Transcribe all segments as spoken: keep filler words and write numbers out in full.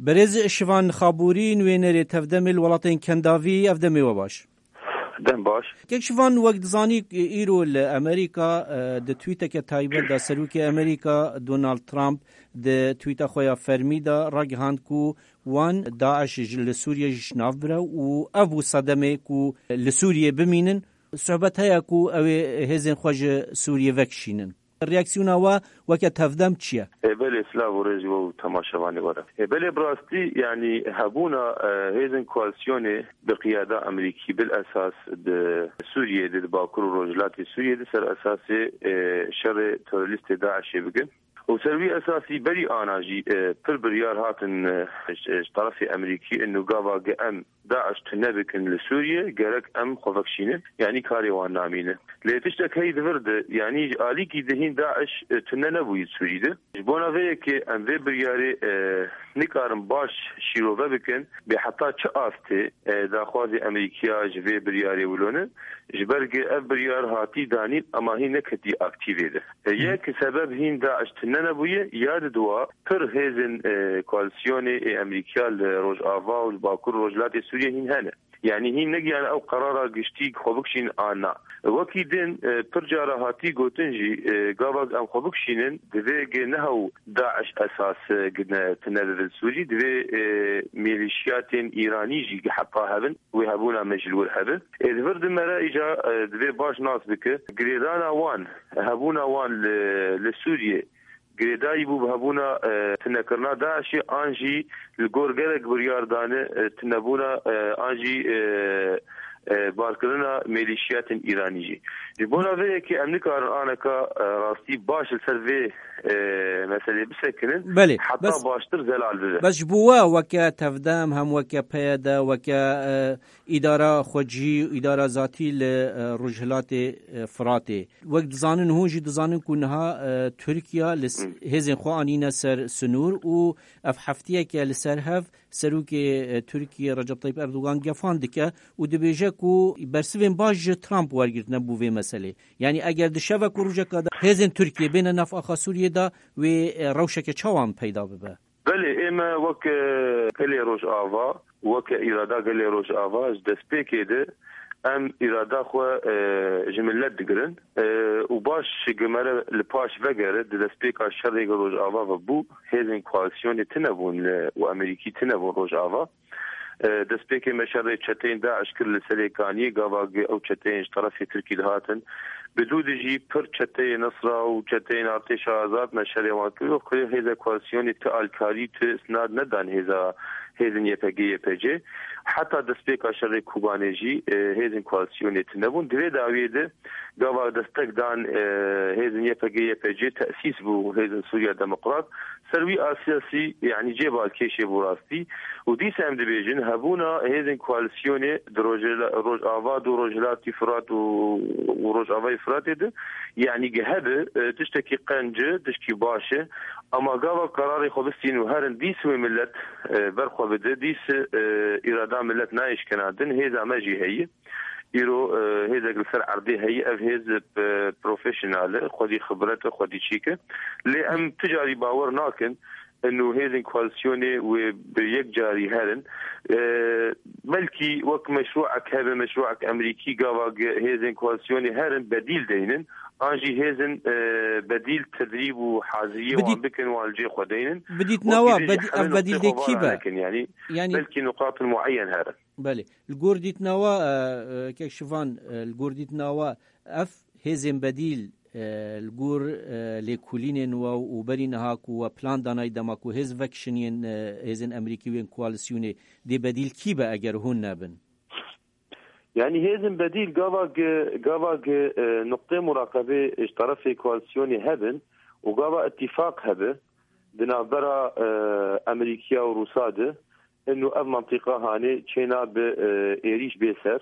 Berêz Şivan Xabûrî, nûênerê Tevdemê li welatên Kendavî, ev demê we baş. Dem baş. Kek Şivan, wek dizanî, îro li Amerîka, e, di twîteke taybet de Serokê Amerîka Donald Trump di twîta xwe ya fermî de ragihand ku wan DAIŞ ji, li Sûriyê ji nav bire û ev bû sedemê ku li Sûriyê bimînin. Sohbet heye ku ew ê hêzên xwe ji Sûriyê vekişînin. Reaksiyona we weke Tevdem çi ye? E, belê, silav û rêz ji we û temaşevanê we re. E, belê, bi rastî, yanî hebûna, e, hêzên koalîsyonê bi qiyada Amerîkî bil esas di Sûriyê de, di Bakur û Rojhilatê Sûriyê de ser esasê, e, şerê terorîstê DAIŞê bikin. Û ser wî esasî berî ana jî, e, pir biryar hatin, e, ji, ji terefê Amerîkî, inu gava ge em DAIŞ tune bikin li Sûriyê, gerek em xwe vekişînin, yanî karê wan namîne. Lê tiştek heyî di vir de, yanî ji alîkî de hîn DAIŞ, e, tune nebûyî Sûrî de. Ji bona vê yekê em vê biryarê, e, nikarin baş şîrove bikin, bê heta çi astê, e, daxwazê Amerîkiya ji vê biryarê wilo ne, ji ber ku ev biryar hatî danîn, ema hîn neketî aktîvê de. E, yek sebeb hîn DAIŞ tune nebûye, ya di dua pir hêzên, e, koalîsyonê ê Amerîkiya li Rojava û li Bakur Rojhilatê Sûriyê hîn hene. Yanî hîn negiyan ew qerara giştî xwe bikişîn an na. Wekî din, e, pir cara hatî gotin jî, e, gava em xwe bikişînin, divê ge ne hew DAIŞ esas, e, gine tune bibin Sûrî, divê, e, mêlîşiyatên Îranî jî heta hebin, wê hebûna me ji li wir hebin. Ê di vir di me re îca, e, divê baş nas bike. Girêdana wan, hebûna wan li, li Sûriyê girêdayî bû bi hebûna, e, tunekirina DAIŞê an jî li gor gelek biryar dane, e, tunebûna, e, an jî, e, e, barkirina mêlîşiyatên Îranî jî. Ji bona vê yekê em nikarin aneka, e, rastî baş li ser vê, e, meselê bisekinin, Belê, heta bes, baştir zelal bibe. Bes ji bo we weke Tevdem hem weke P Y D, weke, e, îdara xwecihî û îdara zatî li, e, Rojhilatê, e, Firatê. Wek dizanin, hûn jî dizanin ku niha, e, Tirkiye li s-, Hı. hêzên xwe anîne ser sinûr û ev heftiyeke li ser hev Serokê, e, Tirkiye Recep Tayyip Erdogan gefan dike û dibêje ku bersivên baş ji Trump wergirtine bo vê meselê. Yanî eger di şevek û rojeka de hêzên Tirkiye bêne nav axa Sûriyê de, wê, e, rewşeke çawan peyda bibe? Belê, ême wek, e, gelê Rojava, weke îrada gelê Rojava ji destpêkê de em îrada xwe, e, ji milet digirin, e, û baş ji me re li paş vegere, di destpêka şerê Rojava ve bû, hêzên koalîsyonê tune bûn li, û Amerîkî tune bûn Rojava. E, destpêkê me şerê çeteyên DAIŞ kir li Serêkaniyê, gava ge ew çeteyên ji terefê Tirkî dihatin. Bi dû de jî pir çeteyê Nisra û çeteyên Artêşa Azad me şerê wan kir. Wek kulê hêza koalîsyonê ti alkarî, ti isnad nedan hêza, hêzên Y P G Y P G. Heta destpêka şerê Kobanê jî, e, hêzên koalîsyonê tune bûn. Di vê dawiyê de gava destek dan, e, hêzên Y P G Y P G tesîs bû hêzên Sûriya Demokrat. Ser wî esasî, yanî cê balkêşê bû rastî. Û dîsa em dibêjin, hebûna hêzên koalîsyonê di Rojela-, Rojava, dû Rojhilatî Firat û, û Rojavayê Firatê de, yanî ge hebe, e, tiştekî qenc e, tiştekî baş e. Ama gava qerarê xwe bistîn û herin dîs wê milet, e, ber xwe bide, dîs, e, îrada milet nayê şkenandin, hêza me jî heye. Îro, e, hêzek li ser erdê heye, ev hêz, e, profesyonel e, xwedî xibret e, xwedî çîk e. Lê em tu carî bawer nakin, inu hêzên koalîsyonê wê bi yek carî herin. E, belkî wek meşrûek hebe, meşrûek Amerîkî gava ge-, hêzên koalîsyonê herin bedîl deynin. An jî hêzên, e, bedîl tedrîb û haziriyê Bidît- wan bikin, wan li cê xwe deynin. Bidît Wekî nawa, din jî bedî-, hemî ev bedîl noqtê de xwe kî be? Nakin, yanî Yanî belkî nuqatin mueyen herin. Belê. Li gor dîtina we, e, e, kek Şivan, e, li gor dîtina we ev hêzên bedîl, e, li gor, e, lêkolînên we û berî niha ku we plan danayî dema ku hêz vekişiniyên, e, hêzên Amerîkî û yên koalîsyonê dê bedîl kî be eger hûn nebin? Yanî hêzên bedîl gava ge-, gava ge, e, nuqtê muraqebê ji terefê koalîsyonê hebin û gava îtîfaq hebe di navbera, e, Amerîkiya û Rûsa de, inu ev mentiqa hanê çêna bi, e, êrîş bê ser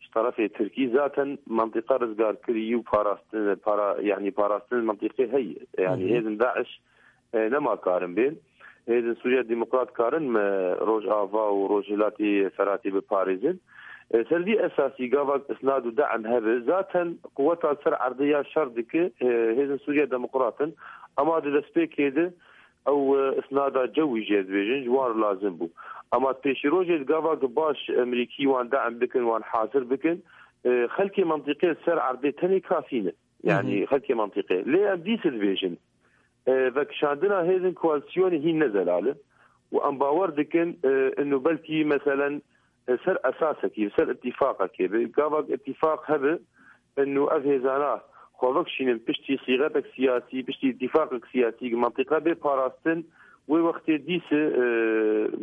ji terefê Tirkî. Zaten mentiqa rizgarkirî û parastin, para, yanî parastin mentiqê heye. Yanî Hı hı. hêzên DAIŞ, e, nema karin bên. Hêzên Sûriya Demokrat karin me Rojava û Rojhilatî Feratî biparêzin. E, ser vî esasî gava isnad û de'm hebe, zaten quweta ser erdê ya şer dike, e, hêzên Sûriya Demokrat in. Ama di destpêkê de ew, e, isnada cewî jê dibêjin, ji wan re lazim bû. Ama pêşîrojê di gava ku baş Emerîkî wan de'm bikin, wan hazir bikin, e, xelkê mentiqê li ser erdê tenê kafî ne. Yanî Hı hı. xelkê mentiqê. Lê em dîse dibêjin, e, vekişandina hêzên koalîsyonê hîn ne zelal e. Û em bawer dikin, e, inu belkî meselen, e, ser esasekî, ser îtîfaqekê be. Gava îtîfaq hebe, inu ev hêzana xwe vekişînin piştî sîxetek siyasî, piştî îtîfaqek siyasî, mentiqe bê parastin, wê wextê dîse, e,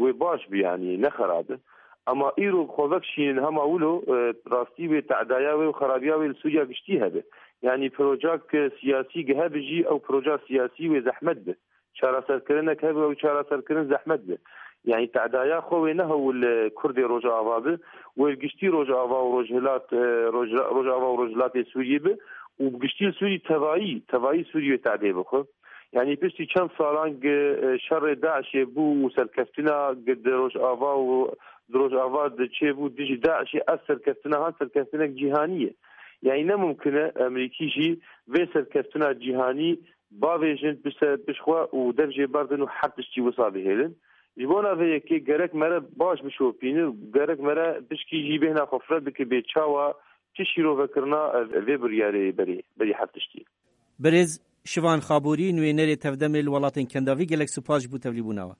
wê baş bi, yanî ne xerab e. Ama îro xwe vekişînin hema wilo, e, rastî wê te'daya wê û xerabiya wê li Sûriya giştî hebe. Yanî projak, e, siyasî gi hebe jî ew proja siyasî wê zehmet be. Çareserkirinek hebe ew çareserkirin zehmet be. Yanî te'daya xwe wê ne hewl, e, Kurdê Rojava be, wê giştî Rojava û Rojhilat, e, Roj-, Rojava û Rojhilatê Sûriyê be û bi giştî li Sûrî tevayî, tevayî Sûrî wê te'dê bixwe. Yanî piştî çend salan gi, e, şerê DAIŞê bû û serkeftina gi di Rojava û di Rojava di çêbû dijî DAIŞê, ev serkeftina han serkeftinek cîhanî ye. Yanî ne mumkin e Emerîkî jî vê serkeftina cîhanî bavêjin pişt-, pişt xwe û dev jê berdin û her tiştî wisa bihêlin. Ji bona vê yekê gerek mere baş bişopîne, gerek mere pişkî jî bêhna xwe fireh bike bê çawa çi şîrovekirina ev, vê biryarê berê, berî her tiştî. Birêz Şivan Xaborî, nûênerê Tevdemê li welatên Kendavî, gelek spas ji bo tevlîbûna we.